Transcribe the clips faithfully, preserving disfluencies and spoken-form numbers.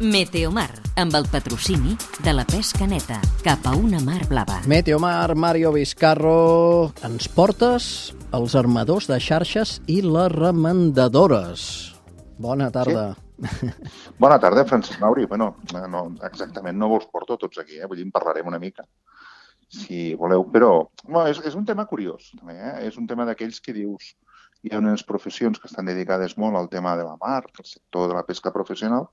Meteomar, amb el patrocini de la pesca neta, cap a una mar blava. Meteomar, Mario Vizcarro, ens portes els armadors de xarxes i les remendadores. Bona tarda. Sí. Bona tarda, Francesc Mauri. Bueno, no, exactament no vos porto tots aquí, eh? Vull dir, en parlarem una mica, si voleu, però bueno, és, és un tema curiós, també, eh? És un tema d'aquells que dius, hi ha unes professions que estan dedicades molt al tema de la mar, al sector de la pesca professional,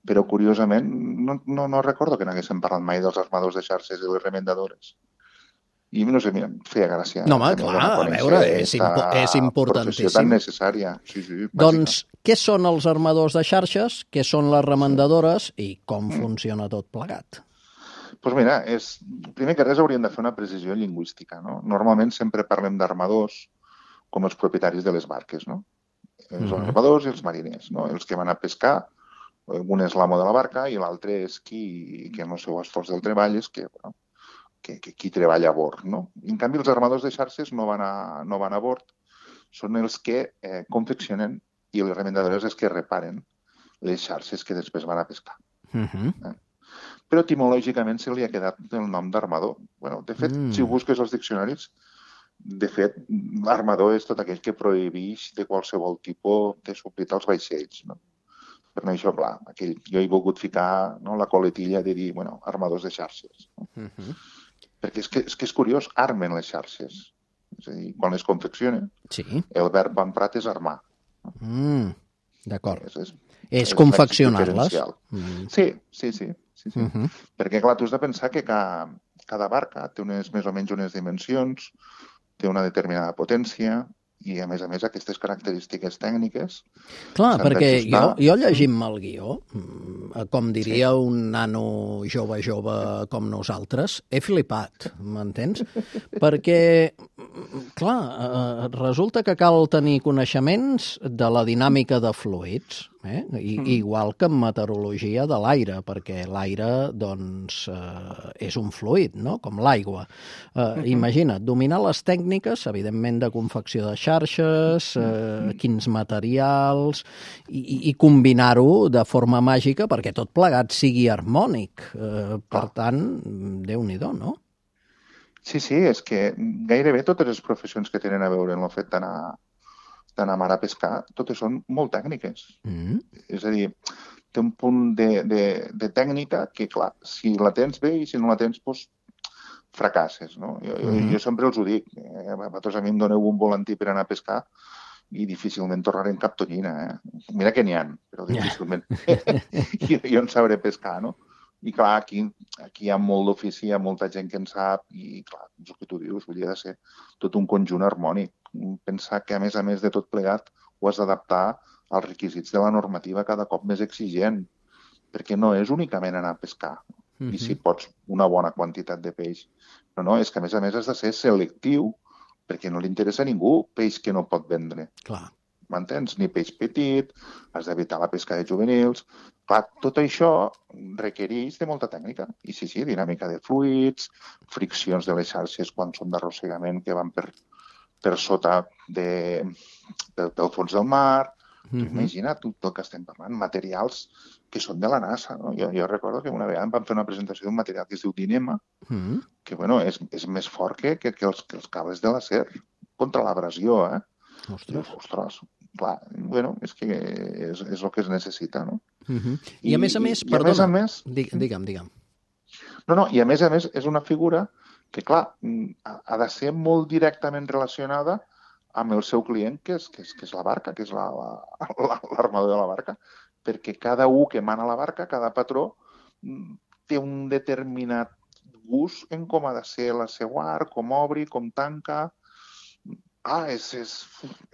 però curiosament no, no, no recordo que n'haguéssim parlat mai dels armadors de xarxes i les remendadores. I no sé, mira, em feia gràcia. No, home, clar, a veure, és, impo és importantíssim. Professió tan necessària. Sí, sí, doncs, què són els armadors de xarxes, què són les remendadores i com mm. funciona tot plegat? Doncs pues mira, és, primer que res hauríem de fer una precisió lingüística, no? Normalment sempre parlem d'armadors com els propietaris de les barques, no? Els mm. armadors i els mariners, no? Els que van a pescar. Un és l'amo de la barca i l'altre és qui, que amb el seu esforç del treball és que, bueno, que, que qui treballa a bord, no? En canvi, els armadors de xarxes no van a, no van a bord, són els que eh, confeccionen i les remendadores els que reparen les xarxes que després van a pescar. Uh-huh. eh? Però etimològicament se li ha quedat el nom d'armador. Bueno, de fet, mm. si ho busques als diccionaris, de fet, l'armador és tot aquell que prohibeix de qualsevol tipus de suplir als vaixells, no? Per això, clar, aquell, jo he volgut ficar, no, la coletilla de dir, bueno, armadors de xarxes. No? Uh-huh. Perquè és que, és que és curiós, armen les xarxes. És a dir, quan les confeccionen, sí. El verb emprat és armar. Mm, D'acord. És, és, és, és confeccionar-les. Mm. Sí, sí, sí. sí, sí. Uh-huh. Perquè, clar, tu has de pensar que cada, cada barca té unes, més o menys unes dimensions, té una determinada potència, i, a més a més, aquestes característiques tècniques... Clar, perquè jo, jo llegim el guió, com diria sí. un nano jove jove com nosaltres, he flipat, m'entens? Perquè, clar, resulta que cal tenir coneixements de la dinàmica de fluids, eh? I, mm. igual que en meteorologia de l'aire, perquè l'aire, doncs, eh, és un fluid, no?, com l'aigua. Eh, mm-hmm. Imagina't, dominar les tècniques, evidentment, de confecció de xarxes, eh, mm. quins materials, i, i combinar-ho de forma màgica perquè tot plegat sigui harmònic. Eh, per ah. tant, Déu-n'hi-do, no? Sí, sí, és que gairebé totes les professions que tenen a veure amb el fet d'anar d'anar a mar a pescar, totes són molt tècniques. Mm. És a dir, té un punt de, de, de tècnica que, clar, si la tens bé i si no la tens, doncs, fracasses, no? Jo, mm. jo sempre els ho dic. Eh? Vosaltres a mi em doneu un volantí per anar a pescar i difícilment tornarem cap tonyina. Eh? Mira que n'hi ha, però difícilment. jo, jo en sabré pescar, no? I clar, aquí, aquí hi ha molt d'ofici, hi ha molta gent que en sap i clar, és el que tu dius, vull dir, ha de ser tot un conjunt harmònic. Pensar que, a més a més de tot plegat, ho has d'adaptar als requisits de la normativa cada cop més exigent, perquè no és únicament anar a pescar, mm-hmm. i si pots una bona quantitat de peix. Però no, és que a més a més has de ser selectiu, perquè no li interessa a ningú peix que no pot vendre. Clar. M'entens? Ni peix petit, has d'evitar la pesca de juvenils. Clar, tot això requereix de molta tècnica. I sí, sí, dinàmica de fluids, friccions de les xarxes quan són d'arrossegament que van per, per sota de, del, del fons del mar. Mm-hmm. Imagina't tot el que estem parlant, materials que són de la NASA. No? Jo, jo recordo que una vegada em van fer una presentació d'un material que es diu Dinema, mm-hmm. que bueno, és, és més fort que, que, que, els, que els cables de l'acer contra l'abrasió, eh? Ostres. Ostres, clar, bueno, és que és, és el que es necessita, no? Uh-huh. I, I a més a més, i, perdona, a més a més, digue'm, digue'm. No, no, i a més a més és una figura que, clar, ha de ser molt directament relacionada amb el seu client, que és, que és, que és la barca, que és l'armador la, la, de la barca, perquè cada un que mana la barca, cada patró, té un determinat gust en com ha de ser la seva art, com obri, com tanca. Ah, és, és,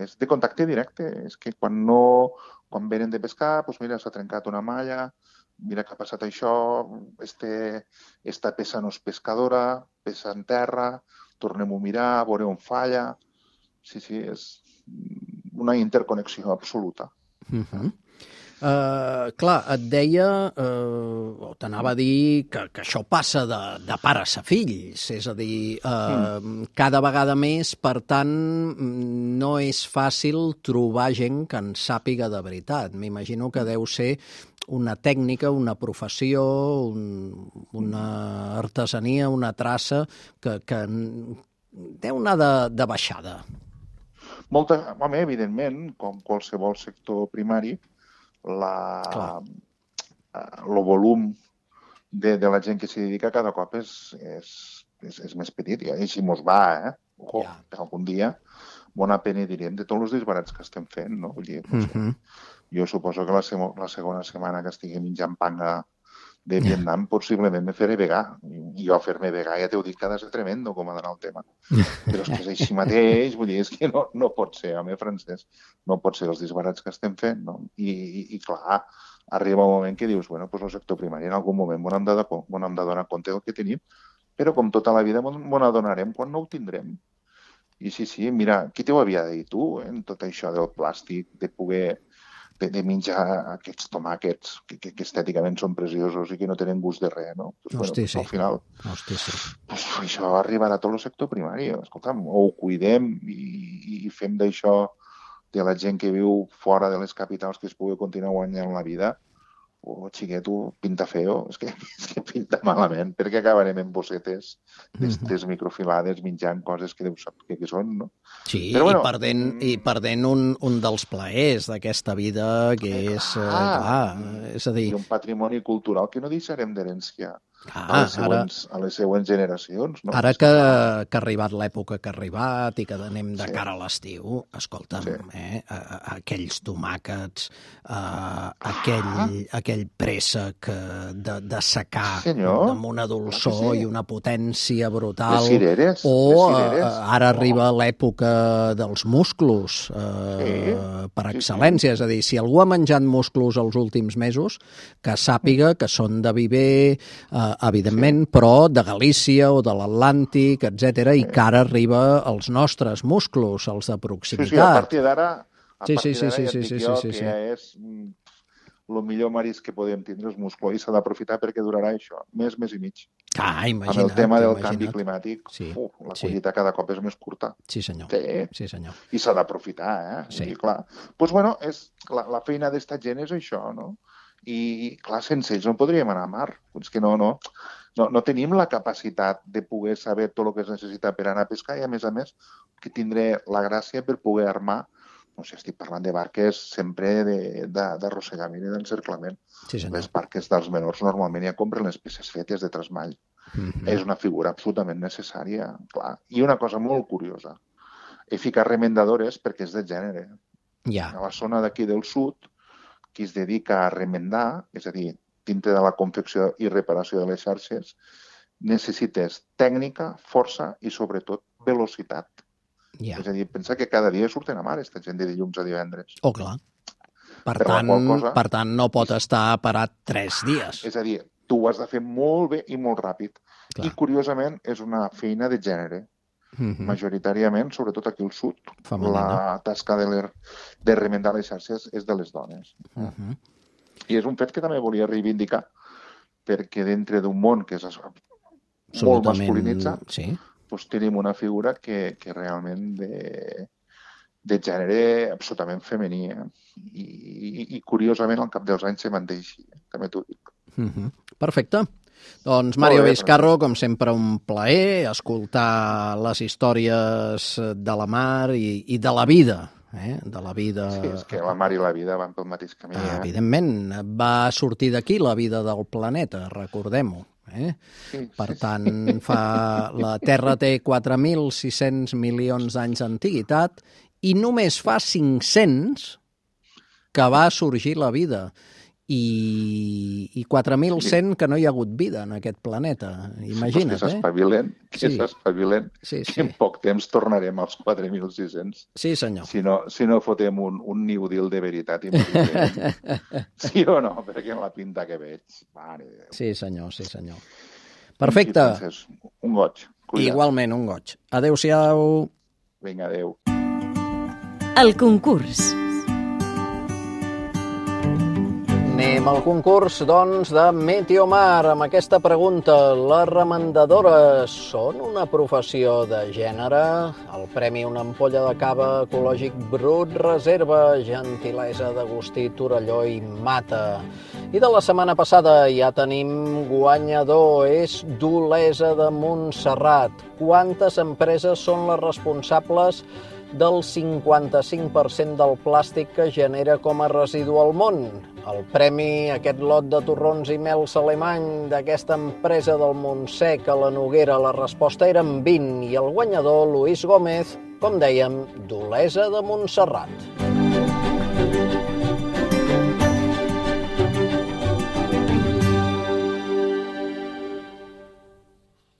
és de contacte directe. És que quan no, quan venen de pescar, doncs mira, s'ha trencat una malla, mira que ha passat això, este, esta peça no és pescadora, peça en terra, tornem-ho a mirar, a veure on falla. Sí, sí, és una interconnexió absoluta. Uh-huh. Uh, clar, et deia, uh, o t'anava a dir que, que això passa de, de pares a fills, és a dir, uh, mm. cada vegada més, per tant, no és fàcil trobar gent que en sàpiga de veritat. M'imagino que deu ser una tècnica, una professió, un, una artesania, una traça que, que deu anar de, de baixada. Molta, home, evidentment, com qualsevol sector primari, la, el volum de, de la gent que s'hi dedica cada cop és, és, és, és més petit, i així mos va, eh? Ojo, ja. Algun dia, bona pena diríem de tots els disbarats que estem fent, no? Vull dir, no sé, uh-huh. Jo suposo que la, se la segona setmana que estigui menjant panga de Vietnam, yeah. possiblement me faré vegà. I jo fer-me vegà ja t'ho dic que ha de ser tremendo com ha d'anar el tema. Però és que és així mateix, vull dir, és que no, no pot ser, home, Francesc, no pot ser els disbarats que estem fent, no? I, i, i clar, arriba un moment que dius, bueno, doncs el sector primari en algun moment m'ho hem de, hem de donar compte del que tenim, però com tota la vida m'ho n'adonarem quan no ho tindrem. I sí, sí, mira, qui t'ho havia de dir tu, en tot això del plàstic, de poder de, de menjar aquests tomàquets que, que, que estèticament són preciosos i que no tenen gust de res, no? Pues, Hosti, bueno, sí. Al final, Hosti, sí. Pues, això arribarà a tot el sector primari. Escolta'm, o ho cuidem i, i fem d'això de la gent que viu fora de les capitals que es pugui continuar guanyant la vida, o xiqueto, pinta feo, és que, és que pinta malament, perquè acabarem en bossetes aquestes mm-hmm. microfilades menjant coses que deu saber què són, no? Sí, però, bueno, i perdent, i perdent un, un dels plaers d'aquesta vida, que és, ah, eh, clar, és a dir... I un patrimoni cultural que no deixarem d'herència ah, a, les següents, ara, a les següents generacions, no? Ara que, que ha arribat l'època que ha arribat i que anem de cara a l'estiu, escolta'm, sí. eh, aquells tomàquets, eh, aquell, ah. aquell préssec de, de secar Senyor, amb una dolçor sí. i una potència brutal. Les cireres. O les cireres. Eh, ara arriba oh. l'època dels musclos, eh, sí. per excel·lència. Sí, sí. És a dir, si algú ha menjat musclos els últims mesos, que sàpiga que són de Viver, eh, evidentment, sí. però de Galícia o de l'Atlàntic, etcètera, sí. i que ara arriba als nostres musclos, els de proximitat. Sí, sí, a partir d'ara a sí, partir sí, sí, d'ara sí, ja sí, et dic sí, jo sí, que sí. ja és el millor marisc que podem tindre, és musclo, i s'ha d'aprofitar perquè durarà això, més, més i mig. Ah, imagina't. Amb el tema del imagina't. canvi climàtic, sí, uf, la sí. collita cada cop és més curta. Sí, senyor. Sí, sí senyor. I s'ha d'aprofitar, eh? Sí. I clar, doncs, bueno, és, la, la feina d'esta gent és això, no? I, clar, sense ells no podríem anar a mar. És que no, no, no, no tenim la capacitat de poder saber tot el que es necessita per anar a pescar i, a més a més, que tindré la gràcia per poder armar, no sé, estic parlant de barques sempre d'arrossegament i d'encerclament. Sí, les barques dels menors normalment ja compren les peces fetes de trasmall. Mm-hmm. És una figura absolutament necessària, clar. I una cosa molt curiosa, he ficat remendadores perquè és de gènere. Ja. A la zona d'aquí del sud, qui es dedica a remendar, és a dir, dintre de la confecció i reparació de les xarxes, necessites tècnica, força i, sobretot, velocitat. Yeah. És a dir, pensa que cada dia surten a mar, aquesta gent de dilluns a divendres. Oh, clar. Per, per, tant, cosa, per tant, no pot estar parat tres dies. És a dir, tu ho has de fer molt bé i molt ràpid. Clar. I, curiosament, és una feina de gènere. Mm-hmm. Majoritàriament, sobretot aquí al sud, femenina. La tasca de, de remendar les xarxes és de les dones. Mm-hmm. I és un fet que també volia reivindicar, perquè dintre d'un món que és molt masculinitzat, sí. doncs tenim una figura que, que realment de, de gènere absolutament femení. Eh? I, i, I, curiosament, al cap dels anys se manté així, eh? També t'ho dic. Mm-hmm. Perfecte. Doncs Mario Vizcarro, com sempre, un plaer escoltar les històries de la mar i, i de la vida. Eh? De la vida... Sí, és que la mar i la vida van pel mateix camí. Eh? Evidentment, va sortir d'aquí la vida del planeta, recordem-ho. Eh? Sí, per sí, tant, sí. Fa... la Terra té quatre mil sis-cents milions d'anys d'antiguitat i només fa cinc-cents que va sorgir la vida. I, i quatre mil cent que no hi ha hagut vida en aquest planeta. Imagina't, eh? Que s'espavilen, que sí. s'espavilen, sí, sí. que en poc temps tornarem als quatre mil sis-cents. Sí, senyor. Si no, si no fotem un, un New Deal de veritat. Sí o no? Perquè en la pinta que veig. Mare de Déu. Sí, senyor, sí, senyor. Perfecte. Entonces, un goig. Cuida. Igualment, un goig. Adéu-siau. Vinga, adéu. El concurs. Anem al concurs, doncs, de Meteomar, amb aquesta pregunta. Les remendadores són una professió de gènere? El premi una ampolla de cava ecològic brut reserva, gentilesa d'Agustí Torelló i Mata. I de la setmana passada ja tenim guanyador, és d'Olesa de Montserrat. Quantes empreses són les responsables del cinquanta-cinc per cent del plàstic que genera com a residu al món? El premi, aquest lot de torrons i mels alemany d'aquesta empresa del Montsec a la Noguera, la resposta eren vint i el guanyador, Lluís Gómez, com dèiem, d'Olesa de Montserrat.